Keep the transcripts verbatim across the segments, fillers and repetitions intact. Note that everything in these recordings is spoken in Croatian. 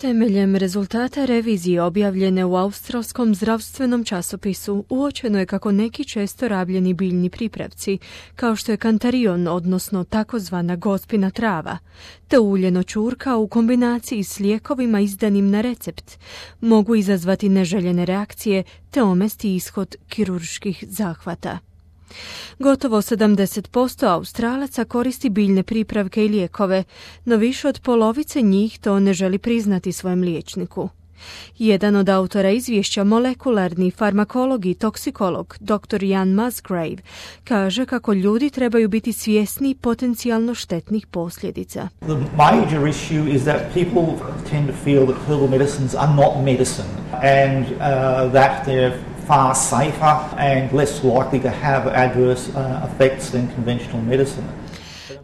Temeljem rezultata revizije objavljene u australskom zdravstvenom časopisu uočeno je kako neki često rabljeni biljni pripravci, kao što je kantarion, odnosno takozvana gospina trava, te uljeno ćurka u kombinaciji s lijekovima izdanim na recept, mogu izazvati neželjene reakcije te omesti ishod kirurških zahvata. Gotovo sedamdeset posto Australaca koristi biljne pripravke i lijekove, no više od polovice njih to ne želi priznati svojem liječniku. Jedan od autora izvješća, molekularni farmakolog i toksikolog doktor Ian Musgrave, kaže kako ljudi trebaju biti svjesni potencijalno štetnih posljedica. The major issue is that people tend to feel that herbal medicines are not medicine and uh, that they're far safer and less likely to have adverse uh, effects than conventional medicine.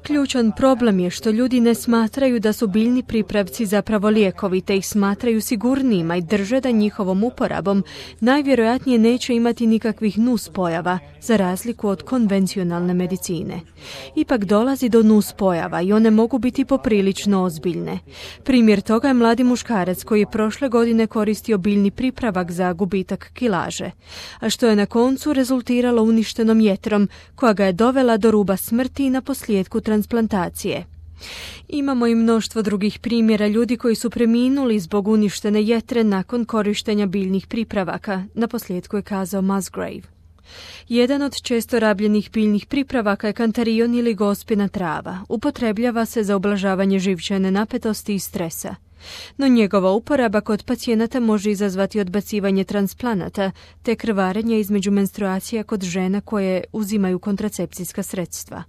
Ključan problem je što ljudi ne smatraju da su biljni pripravci zapravo lijekovi, te ih smatraju sigurnijima i drže da njihovom uporabom najvjerojatnije neće imati nikakvih nuspojava, za razliku od konvencionalne medicine. Ipak dolazi do nuspojava i one mogu biti poprilično ozbiljne. Primjer toga je mladi muškarac koji je prošle godine koristio biljni pripravak za gubitak kilaže, a što je na koncu rezultiralo uništenom jetrom koja ga je dovela do ruba smrti i na posljedku transplantacije. Imamo i mnoštvo drugih primjera ljudi koji su preminuli zbog uništene jetre nakon korištenja biljnih pripravaka, na posljedku je kazao Musgrave. Jedan od često rabljenih biljnih pripravaka je kantarion ili gospina trava. Upotrebljava se za ublažavanje živčane napetosti i stresa. No njegova uporaba kod pacijenata može izazvati odbacivanje transplanata te krvarenje između menstruacija kod žena koje uzimaju kontracepcijska sredstva.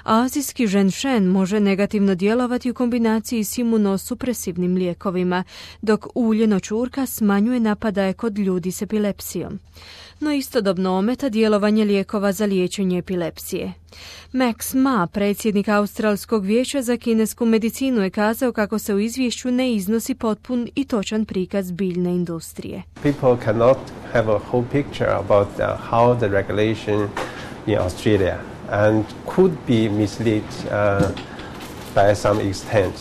Azijski ženšen može negativno djelovati u kombinaciji s imunosupresivnim lijekovima, dok uljeno ćurka smanjuje napadaje kod ljudi s epilepsijom. No istodobno ometa djelovanje lijekova za liječenje epilepsije. Max Ma, predsjednik Australskog vijeća za kinesku medicinu, je kazao kako se u izvješću ne iznosi potpun i točan prikaz biljne industrije. People cannot have a whole picture about uh, how the regulation in Australia and could be misled uh, by some extent.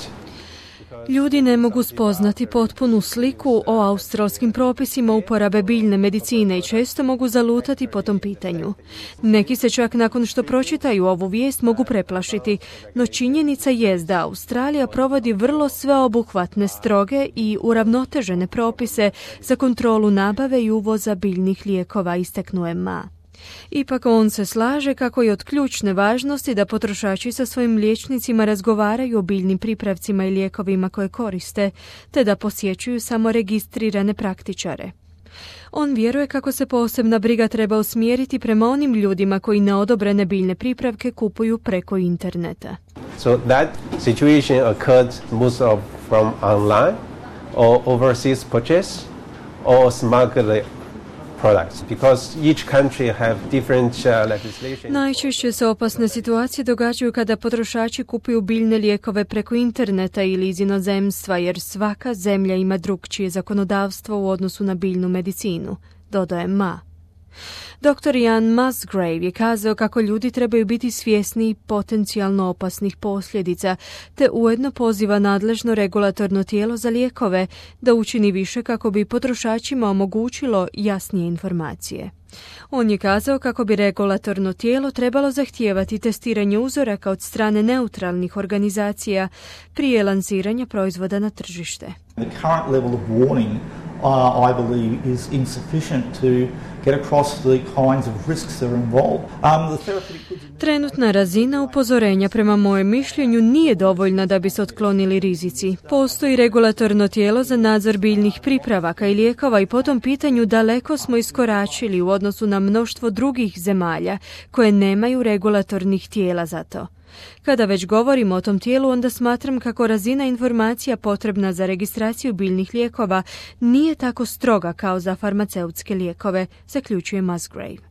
Ljudi ne mogu spoznati potpunu sliku o australskim propisima uporabe biljne medicine i često mogu zalutati po tom pitanju. Neki se čak nakon što pročitaju ovu vijest mogu preplašiti, no činjenica je da Australija provodi vrlo sveobuhvatne, stroge i uravnotežene propise za kontrolu nabave i uvoza biljnih lijekova, istaknuo je Ma. Ipak on se slaže kako je od ključne važnosti da potrošači sa svojim liječnicima razgovaraju o biljnim pripravcima i lijekovima koje koriste, te da posjećuju samo registrirane praktičare. On vjeruje kako se posebna briga treba usmjeriti prema onim ljudima koji neodobrene biljne pripravke kupuju preko interneta. So that situation occurred most of from online or overseas purchase or smuggled products, because each country have different uh, legislation. Najčešće se opasne situacije događaju kada potrošači kupuju biljne lijekove preko interneta ili iz inozemstva, jer svaka zemlja ima drukčije zakonodavstvo u odnosu na biljnu medicinu, dodaje Ma. doktor Ian Musgrave je kazao kako ljudi trebaju biti svjesni potencijalno opasnih posljedica, te ujedno poziva nadležno regulatorno tijelo za lijekove da učini više kako bi potrošačima omogućilo jasnije informacije. On je kazao kako bi regulatorno tijelo trebalo zahtijevati testiranje uzoraka od strane neutralnih organizacija prije lansiranja proizvoda na tržište. The current level of warning, uh, I believe, is insufficient to get across the kinds of risks that are involved. Um, the therapeutic goods... Trenutna razina upozorenja prema mojem mišljenju nije dovoljna da bi se otklonili rizici. Postoji regulatorno tijelo za nadzor biljnih pripravaka i lijekova i po tom pitanju daleko smo iskoračili u odnosu na mnoštvo drugih zemalja koje nemaju regulatornih tijela za to. Kada već govorimo o tom tijelu, onda smatram kako razina informacija potrebna za registraciju biljnih lijekova nije tako stroga kao za farmaceutske lijekove, zaključuje Musgrave.